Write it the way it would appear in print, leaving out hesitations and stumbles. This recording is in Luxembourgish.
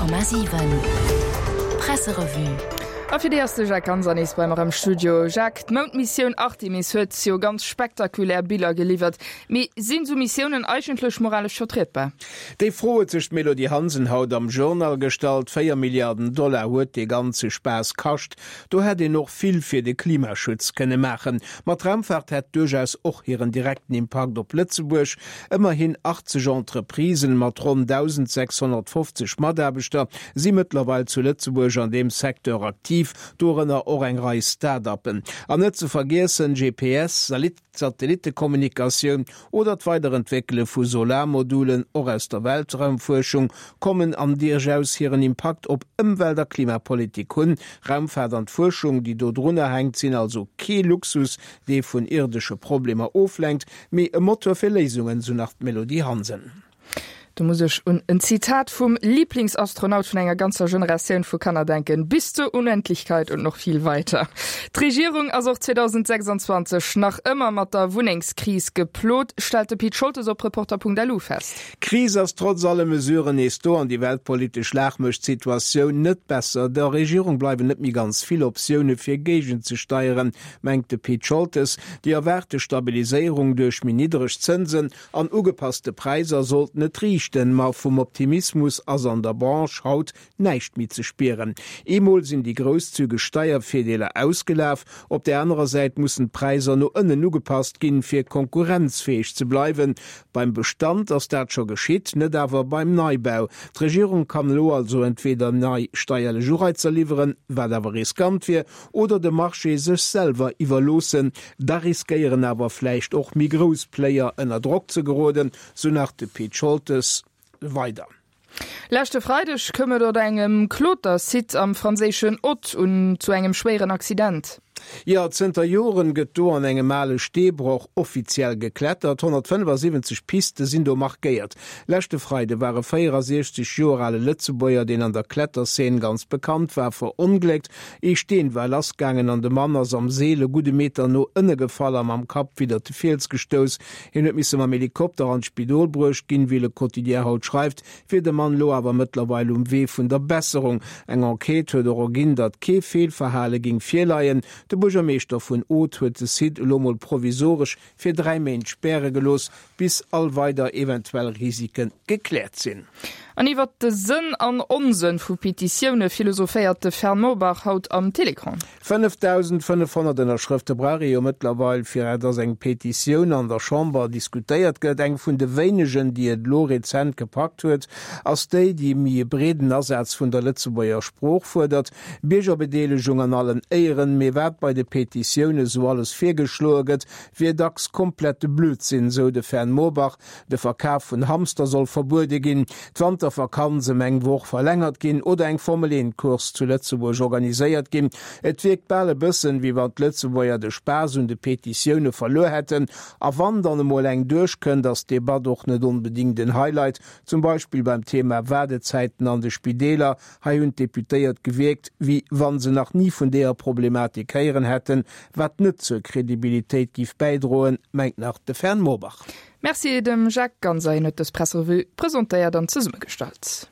100,7 Presserevue. A fir déi ass de Jacques Ganser nees bei mer am Studio. Jacques, d'Moundmissioun Artemis huet jo ganz spektakulär Biller geliwwert. Mee sinn esou Missiounen eigentlech moralesch vertrietbar? Déi Fro huet sech d'Mélodie Hansen haut am Journal gestallt. 4 Milliarden Dollar huet dee ganze Spaass kascht. Do hätt een och vill fir de Klimaschutz kënne maachen. Ma d'Raumfaart hätt duerchaus och hiren direkten Impakt op Lëtzebuerg. Ëmmerhin 80 Entreprisen mat ronn 1.650 Mataarbechter si mëttlerweil zu Lëtzebuerg an deem Secteur aktiv, dorënner och eng Rei Start-uppen. An net ze vergiessen GPS, Satellittekommunikatioun oder d'Weiderentwéckele vu Solarmodulen, och aus der Weltraumfuerschung kommen an duerchaus hiren Impakt op Ëmwelt a Klimapolitik hunn. Raumfaart an d'Fuerschung, déi do drunner hänkt, sinn also kee Luxus, dee vun irdesche Problemer oflenkt, Mee e Motor fir Léisungen, sou nach d'Mélodie Hansen. Do muss ech un en Zitat vum Lieblingsastronaut vun enger ganzer Generatioun vu Kanner denken, Bis zur Unendlichkeit und noch viel weiter. D'Regierung ass och 2026 nach ëmmer mat der Wunnengskris geplot, stellt de Pit Scholtes op Reporter.lu fest. D'Kris ass trotz alle Mesuren nees do an déi weltpolitesch Lag mécht d'Situatioun net besser. Der Regierung bleiwen net méi ganz vill Optioune fir géigenzesteieren. mengt de Pit Scholtes. Déi erwaarte Stabiliséierung duerch méi niddereg Zënsen an ugepasste Präisser sollt net riichten, ma vum Optimismus ass an der Branche haut näischt méi ze spieren. Eemol sinn déi grousszügeg Steiervirdeeler ausgelaf, op där anerer Säit mussen d'Präisser no ënnen ugepasst ginn, fir konkurrenzfäeg ze bleiwen. Beim Bestand ass dat scho geschitt, net awer beim Neibau. D'Regierung kann elo also entweder nei steierlech Ureizer liwweren, wat awer riskant wier, oder de Marché sech selwer iwwerloossen, da riskéieren awer vläicht och méi grouss Player ënner Drock ze geroden, sou nach de Pit Scholtes weider. Leschte Freideg koum et op engem Klotersite am franséischen Aude un zu engem schwéieren Accident. Jo, zënter Joren gëtt do an engem ale Steebroch offiziell geklettert. 175 Piste sinn do markéiert. Leschte Freide war e 64 Joer ale Lëtzebuerger, deen an der Kletterzeen ganz bekannt war, verongléckt. Ee Steen war lassgaangen an de Mann ass am Seel e gudde Meter no ënne gefall a mam Kapp widdert de Fiels gestouss. Hien huet misse mam Helikopter an d'Spidol bruecht ginn. Wéi Le Quotidien haut schreift, wier de Mann elo awer mëttlerweil um Wee vun der Besserung. Eng Enquête huet och erginn, datt kee Feelverhale géing virleien. De Buergermeeschter vun Aude huet de Site elo mol provisoresch fir 3 Méint späre gelooss, bis all weider eventuell Risike gekläert sinn. An iwwert de Sënn an Onsënn vu Petitioune philosophéiert de Fern Morbach haut am Télécran. 5.500 Ënnerschrëfte brauch ee jo mëttlerweil, fir dass eng Petitioun an der Chamber diskutéiert gëtt. Eng vun de wéinegen, déi et elo rezent gepackt huet, ass déi, déi méi e breeden Asaz vun der Lëtzebuerger Sprooch fuerdert. Biergerbedeelegung an allen Éieren, mee wat bei de Petitioune sou alles virgeschloe gëtt, wier dacks komplette Blödsinn, sou de Fern Morbach. De Verkaf vun Hamster soll verbuede ginn, d'Wantervakanz ëm eng Woch verlängert ginn oder eng Formel 1 Course zu Lëtzebuerg organiséiert ginn. Et wierkt bal e bëssen, wéi wann d'Lëtzebuerger de Spaass un de Petitioune verluer hätten. A wann dann emol eng duerchkënnt, ass d'Debatt och net onbedéngt en Highlight. Zum Beispill beim Thema Waardezäiten an de Spideeler. Hei hunn d'Deputéiert gewierkt, wéi wa se nach ni vun deeër Problematik héieren hätten, wat net zur Kredibilitéit giff bäidroen, mengt nach de Fern Morbach. Merci dem Jacques Ganser, hien huet dës Presserevue presentéiert an zesummegestallt.